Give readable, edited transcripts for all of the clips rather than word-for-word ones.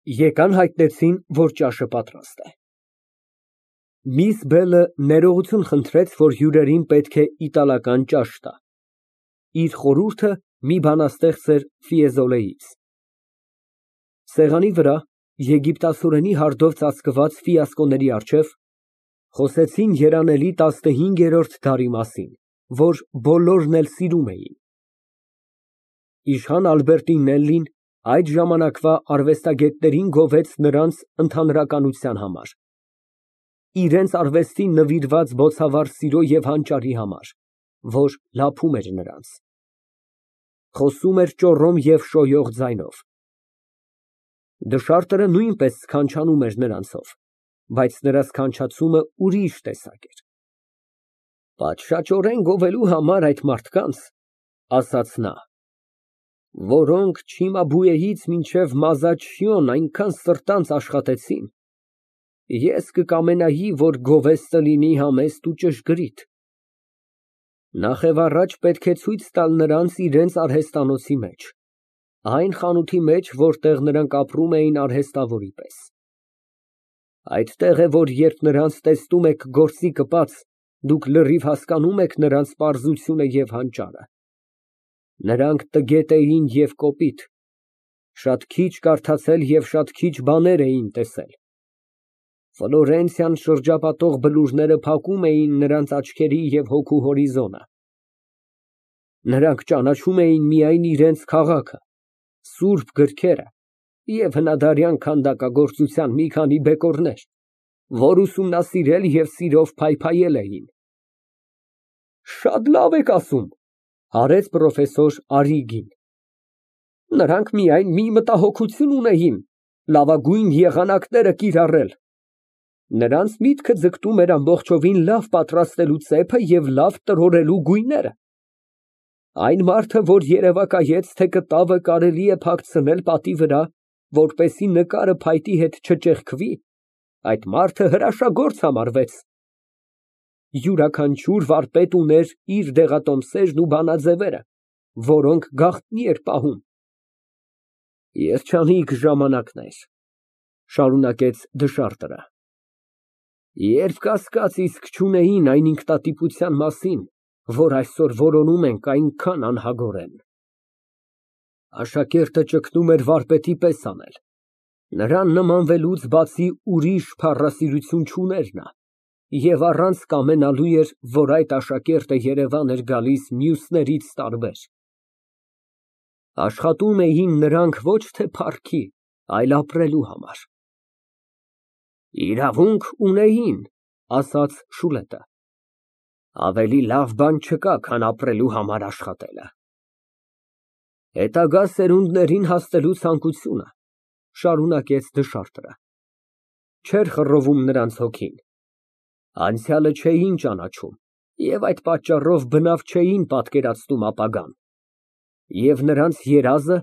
Եկան հայտնեցին, որ ճաշը պատրաստ է։ Միս Բելը ներողություն խնդրեց, որ հյուրերին պետք է իտալական ճաշ տա, իր խորհուրդը մի բանաստեղծ էր Ֆիեզոլեից։ Սեղանի վրա, եգիպտացորենի հարդով ծածկված ֆիասկոների առջև, խոսեցին երանելի 15-րդ դարի մասին, որ բոլորն էլ սիրում էին։ Իշխան Ալբերտինելլին այդ ժամանակվա արվեստագետներին գովեց նրանց ընդհանրականության համար, իրենց արվեստին նվիրված բոցավառ սիրո և հանճարի համար, որ լափում էր նրանց։ Խոսում էր ճոռոմ և շոյող ձայնով։ Դշարտերը նույնպես սքանչանում էր նրանցով, բայց նրա սքանչացումը ուրիշ տեսակ էր։ Պատշաճորեն գովելու համար այդ մարդկանց, ասաց նա, որոնք Չիմաբուեից մինչև Մազաչիոն այնքան սրտանց աշխատեցին, ես կկամենայի, որ գովեստը լինի համեստ ու ճշգրիտ։ Նախևառաջ պետք է ցույց տալ նրանց իրենց արհեստանոցի մեջ, այն խանութի մեջ, որտեղ նրանք ապրում էին արհեստավորի պես։ Այդտեղ է, որ երբ նրանց տեսնում եք գործի կպած, դուք լրիվ հասկանում եք նրանց պարզությունը և հանճարը։ Նրանք տգետ էին և կոպիտ, շատ քիչ կարդացել և շատ քիչ բաներ էին տեսել։ Ֆլորենցիան շրջապատող բլուրները փակում էին նրանց աչքերի և հոգու հորիզոնը։ Նրանք ճանաչում էին միայն իրենց քաղաքը, սուրբ գրքերը և հնադարյան քանդակագործության մի քանի բեկորներ, որ ուսումնասիրել և սիրով փայփայել էին։ Շատ լավ եք ասում, արեց պրոֆեսոր Արրիգին։ Նրանք միայն մի մտահոգություն ունեին՝ լավագույն եղանակները կիրառել։ Նրանց միտքը ձգտում էր ամբողջովին լավ պատրաստելու ծեփը և լավ տրորելու գույները։ Այն մարդը, որ երևակայեց, թե կտավը կարելի է փակցնել պատի վրա, որպեսզի նկարը փայտի հետ չճեղքվի, այդ մարդը հրաշագործ համարվեց։ Յուրաքանչյուր վարպետ ուներ իր դեղատոմսերն ու բանաձևերը, որոնք գաղտնի էր պահում։ Երջանիկ ժամանակներ, շարունակեց դշարտը, երբ կասկած իսկ չունեին այն ինքնատիպության մասին, որ այսօր որոնում ենք այնքան անհագորեն։ Աշակերտը ճգնում էր վարպետի պես անել, նրան նմանվելուց բացի ուրիշ փառասիրություն չուներ նա, և առանց կամենալու էր, որ այդ աշակերտը երևան էր գալիս մյուսներից տարբեր։ Աշխատում էին նրանք ոչ թե փառքի, այլ ապրելու համար։ Իրավունք ունեին, ասաց Շուլետը, ավելի լավ բան չկա, քան ապրելու համար աշխատելը։ Հետագա սերունդներին հասնելու ցանկությունը, շարունակեց դշարտը, չէր խռովում նրանց հոգին, անցյալը չէին ճանաչում և այդ պատճառով բնավ չէին պատկերացնում ապագան, և նրանց երազը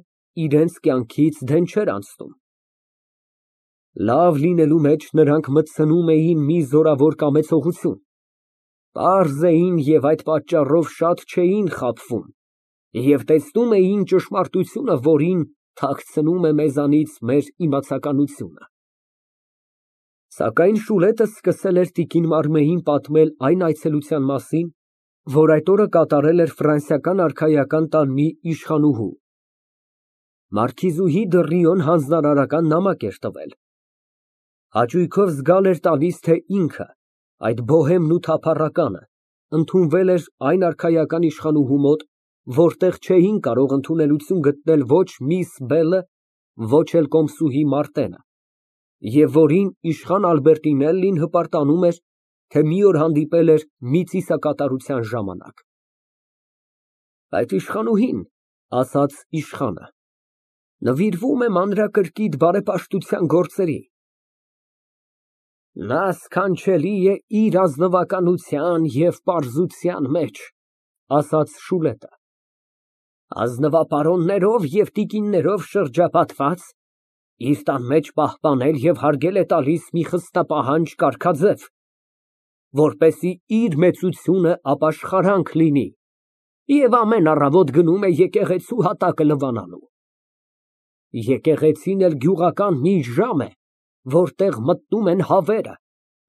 իրենց կյանքից դեն չէր անցնում։ Լավ լինելու մեջ նրանք մտցնում էին մի զորավոր կամեցողություն, պարզ էին և այդ պատճառով շատ չէին խաբվում և տեսնում էին ճշմարտությունը, որին թաքցնում է մեզանից մեր իմացականությունը։ Սակայն Շուլետը սկսել էր տիկին Մարմեին պատմել այն այցելության մասին, որ այդ օրը կատարել էր ֆրանսիական արքայական տան մի իշխանուհու։ Մարքիզուհի Դռիոն հանձնարարական նամակ էր տվել։ Հաճույքով զգալ էր տալիս, թե ինքը, այդ բոհեմն ու թափառականը, ընդունվել էր այն արքայական իշխանուհու մոտ, որտեղ չէին կարող ընդունելություն գտնել ոչ միս Բելը, ոչ էլ կոմսուհի Մարտենը, և որին իշխան Ալբերտինելլին հպարտանում էր, թե մի օր հանդիպել էր մի ծիսակատարության ժամանակ։ Այդ իշխանուհին, ասաց իշխանը, նվիրվում է մանրակրկիտ բարեպաշտության գործերի։ Նա սքանչելի է իր ազնվականության և պարզության մեջ, ասաց Շուլետը, ազնվապարոններով և տիկիններով շրջապատված, իր տան մեջ պահպանել և հարգել է տալիս մի խստապահանջ կարգաձև, որպեսզի իր մեծությունը ապաշխարանք լինի, և ամեն առավոտ գնում է եկեղեցու հատակը լվանալու։ Եկեղեցին էլ գյուղական մի ժամ է, որտեղ մտնում են հավերը,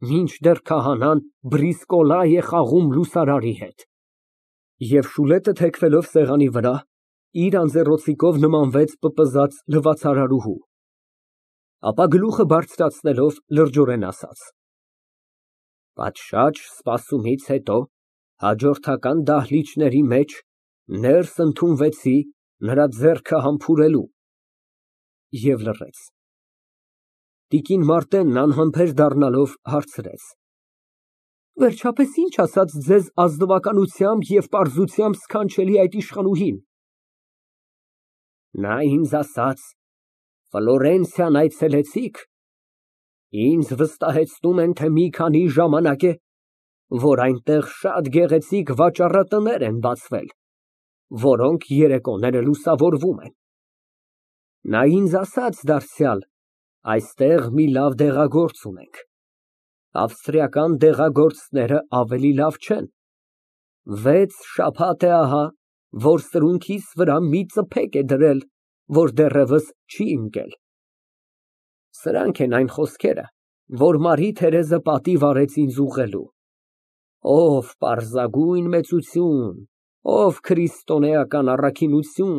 մինչդեռ քահանան բրիսկոլա է խաղում լուսարարի հետ։ Եվ Շուլետը, թեքվելով սեղանի վրա, իր անձեռոցիկով նմանվեց պպզած լվացարարուհու, ապա գլուխը բարձրացնելով լրջորեն ասաց. Պատշաճ սպասումից հետո հաջորդական դահլիճների մեջ ներս ընդունվեցի նրա ձեռքը համբուրելու և լռեց։ Տիկին Մարտենն անհամբեր դառնալով հարցրեց. Վերջապես ինչ ասաց ձեզ ազնվականությամբ և պարզությամբ սքանչելի այդ իշխանուհին։ Նա ինձ ասաց. Ֆլորենցիան այցելեցիք, ինձ վստահեցնում են, թե մի քանի ժամանակ է, որ այնտեղ շատ գեղեցիկ վաճառատներ են բացվել, որոնք երեկոները լուսավորվում են։ Նա ինձ ասաց դարձյալ, այստեղ մի լավ դեղագործ ունենք, ավստրիական դեղագործները ավելի լավ չեն, 6 շաբաթ է ահա, որ սրունքիս վրա մի ծփեք է դրել, որ դեռևս չի ընկել։ Սրանք են այն խոսքերը, որ Մարի Թերեզը պատիվ արեց ինձ ուղղելու։ Ով պարզագույն մեծություն, ով քրիստոնեական առաքինություն,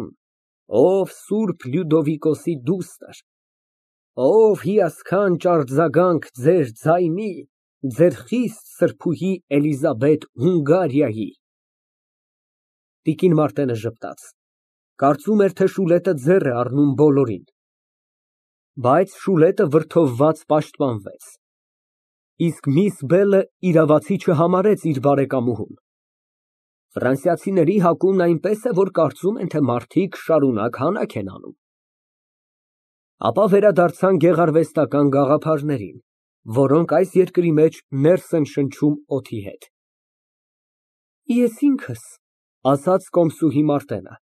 ով Սուրբ Լյուդովիկոսի դուստր, ով հիասքանչ արձագանք ձեր ձայնի, ձեր խիստ սրբուհի Էլիզաբետ Հունգարիայի։ Տիկին Մարտենը ժպտաց, կարծում էր, թե Շուլետը ձեռ է առնում բոլորին, բայց Շուլետը վրդովված պաշտպանվեց, իսկ միս Բելը իրավացի չհամարեց իր բարեկամուհուն։ Ֆրանսիացիների հակումն այնպես է, որ կարծում են, թե մարդիկ շարունակ հանաք են անում։ Ապա վերադարձան գեղարվեստական գաղափարներին, որոնք այս երկրի մեջ ներս են շնչում օդի հետ։ Ես ինքս, ասաց կոմսուհի Մարտենը,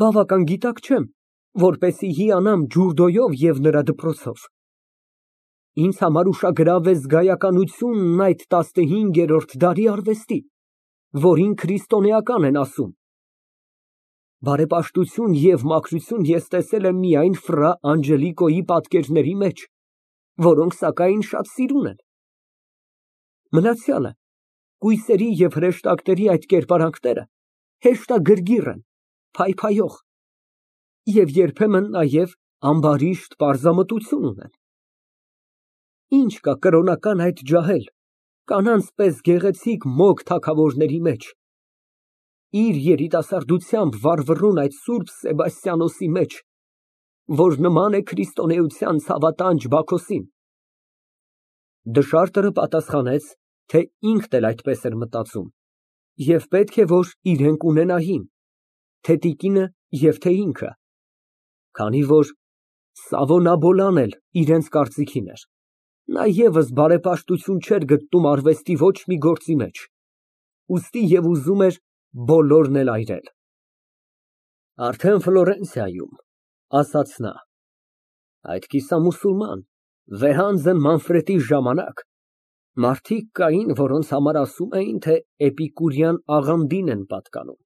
բավական գիտակ չեմ, որպեսզի հիանամ ջուրդոյով և նրա դպրոցով։ Ինձ համար ուշագրավ է զգայականությունն այդ 15-րդ դարի արվեստի, որին քրիստոնեական են ասում։ Բարեպաշտություն և մաքրություն ես տեսել եմ միայն Ֆրա Անջելիկոյի պատկերների մեջ, որոնք սակայն շատ սիրուն են։ Մնացյալը, կույսերի և հրեշտակների այդ կերպարանքները հեշտագրգիռ են, փայփայող և երբեմն նաև ամբարիշտ պարզամտություն ունեն։ Ինչ կա կրոնական այդ ջահել, կանանց պես գեղեցիկ մոգ թագավորների մեջ, իր երիտասարդությամբ վառվռուն այդ Սուրբ Սեբաստիանոսի մեջ, որ նման է քրիստոնեության ցավատանջ Բաքոսին։ Դշարտը պատասխանեց, թե ինքն էլ այդպես էր մտածում, և պետք է, որ իրենք ունենային, թե տիկինը և թե ինքը, քանի որ Սավոնաբոլան էլ իրենց կարծիքին էր, նա ևս բարեպաշտություն չէր գտնում արվեստի ոչ մի գործի մեջ, ուստի և ուզում էր բոլորն էլ այրել։ Արդեն Ֆլորենցիայում, ասաց նա, այդ կիսամուսուլման, վեհանձն Մանֆրետի ժամանակ մարդիկ կային, որոնց համար ասում էին, թե էպիկուրյան աղանդին են պատկանում,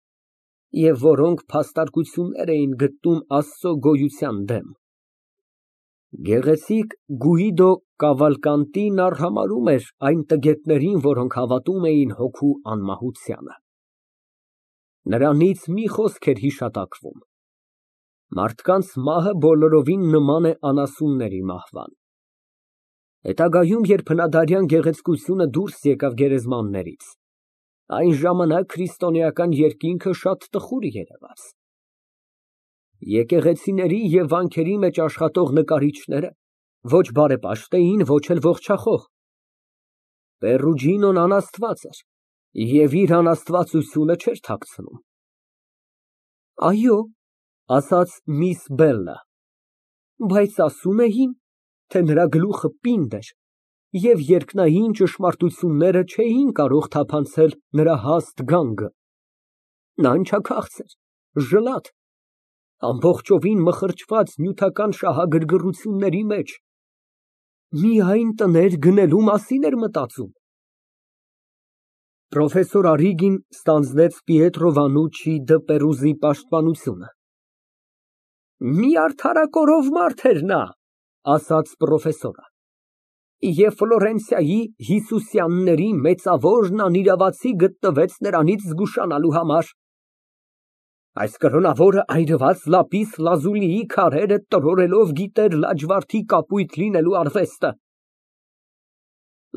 և որոնք փաստարկություններ էին գտնում Աստծո գոյության դեմ։ Գեղեցիկ Գուիդո Կավալկանտին արհամարհում էր այն տգետներին, որոնք հավատում էին հոգու անմահությանը։ Նրանից մի խոսք էր հիշատակվում. մարդկանց մահը բոլորովին նման է անասունների մահվան։ Հետագայում, երբ հնադարյան գեղեցկությունը դուրս եկավ գերեզմաններից, այն ժամանակ քրիստոնեական երկինքը շատ տխուր երևաց։ Եկեղեցիների և վանքերի մեջ աշխատող նկարիչները ոչ բարեպաշտ էին, ոչ էլ ողջախոհ։ Պերուջինոն անաստված էր և իր անաստվածությունը չէր թաքցնում։ Այո, ասաց միս Բելը, բայց ասում էին, թե նրա գլուխը պինդ էր, և երկնային ճշմարտությունները չէին կարող թափանցել նրա հաստ գանգը։ Նա ընչաքաղց էր, ժլատ, ամբողջովին մխրճված նյութական շահագրգռությունների մեջ, միայն տներ գնելու մասին էր մտածում։ Պրոֆեսոր Արիգին ստանձնեց Պիետրո Վանուչչի դը Պերուզի պաշտպանությունը։ Մի արդարակորով մարդ էր նա, ասաց պրոֆեսորը, և Ֆլորենցիայի Հիսուսյանների մեծավորն անիրավացի գտնվեց նրանից զգուշանալու համար։ Այս կրոնավորը այրված լապիս լազուլիի քարերը տրորելով գիտեր լաջվարդի կապույտ լինելու արվեստը։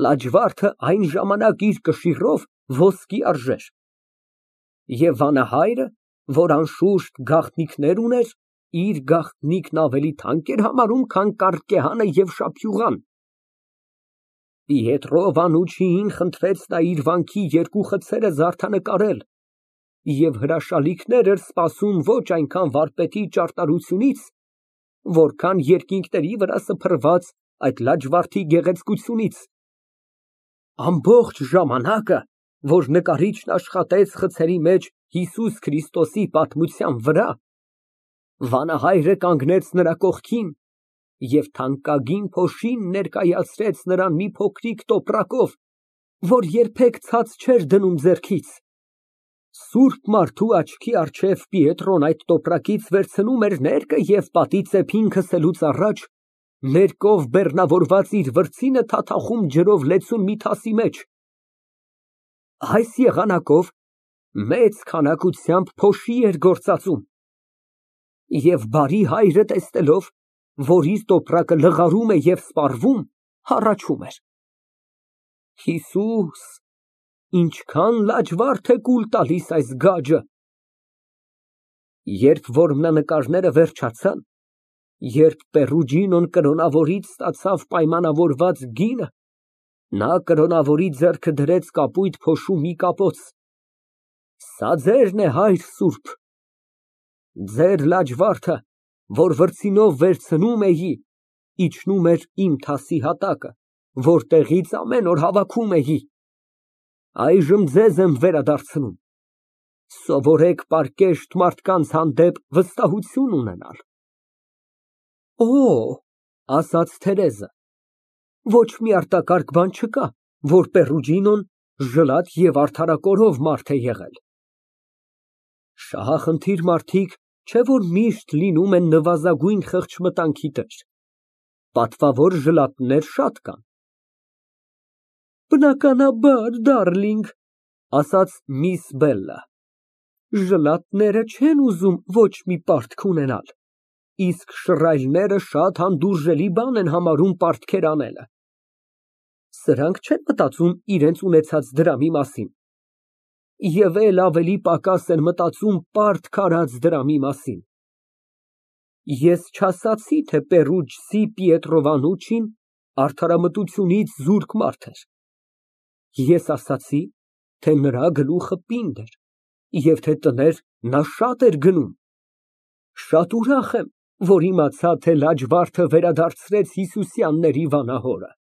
Լաջվարդը այն ժամանակ իր կշիռով ոսկի արժեր, և վանահայրը, որ անշուշտ գաղտնիքներ ուներ, իր գաղտնիքն ավելի թանկ էր համարում, քան կարկեհանը և շափյուղան։ Պիետրո Վանուչիին խնդրեց նա իր վանքի երկու խցերը զարդանկարել և հրաշալիքներ էր սպասում ոչ այնքան վարպետի ճարտարությունից, որքան երկինքների վրա սփռված այդ լաջվարդի գեղեցկությունից։ Ամբողջ ժամանակը, որ նկարիչն աշխատեց խցերի մեջ Հիսուս Քրիստոսի պատմության վրա, վանահայրը կանգնեց նրա կողքին և թանկագին փոշին ներկայացրեց նրան մի փոքրիկ տոպրակով, որ երբեք ցած չէր դնում ձեռքից։ Սուրբ մարդու աչքի առջև Պիետրոն այդ տոպրակից վերցնում էր ներկը և պատի ծեփին քսելուց առաջ ներկով բեռնավորված իր վրձինը թաթախում ջրով լեցուն մի թասի մեջ։ Այս եղանակով մեծ քանակությամբ փոշի էր գործածում, և բարի հայրը տեսնելով, որ իր տոպրակը լղարում է և սպառվում, հառաչում էր. Հիսուս, ինչքան լաջվարդ է կուլ տալիս այս գաջը։ Երբ որ նկարները վերջացան, երբ Պերուջինոն կրոնավորից ստացավ պայմանավորված գինը, նա կրոնավորի ձեռքը դրեց կապույտ փոշու մի կապոց։ Սա ձերն է, հայր սուրբ, ձեր լաջվարդը, որ վրձինով վերցնում էի, իջնում էր իմ թասի հատակը, որտեղից ամեն օր հավաքում էի։ Այժմ ձեզ եմ վերադարձնում, սովորեք պարկեշտ մարդկանց հանդեպ վստահություն ունենալ։ Օ, ասաց Թերեզը, ոչ մի արտակարգ բան չկա, որ Պերուջինոն ժլատ և արդարակորով մարդ է եղել։ Շահախնդիր մարդիկ չէ որ միշտ լինում են նվազագույն խղճմտանքի տեր, պատվավոր ժլատներ շատ կան։ Բնականաբար, դարլինգ, ասաց միս Բելլը, ժլատները չեն ուզում ոչ մի պարտք ունենալ, իսկ շռայլները շատ հանդուրժելի բան են համարում պարտքեր անելը։ Սրանք չեն մտածում իրենց ունեցած դրամի մասին, և էլ ավելի պակաս են մտածում պարտք արած դրամի մասին։ Ես չասացի, թե Պերուջցի Պիետրո Վանուչին արդարամտությունից զուրկ մարդ էր։ Ես ասացի, թե նրա գլուխը պինդ էր, և թե տներ նա շատ էր գնում։ Շատ ուրախ եմ, որ իմացա, թե լաջվարդը վերադարձրեց Հիսուսյանների վանահորը։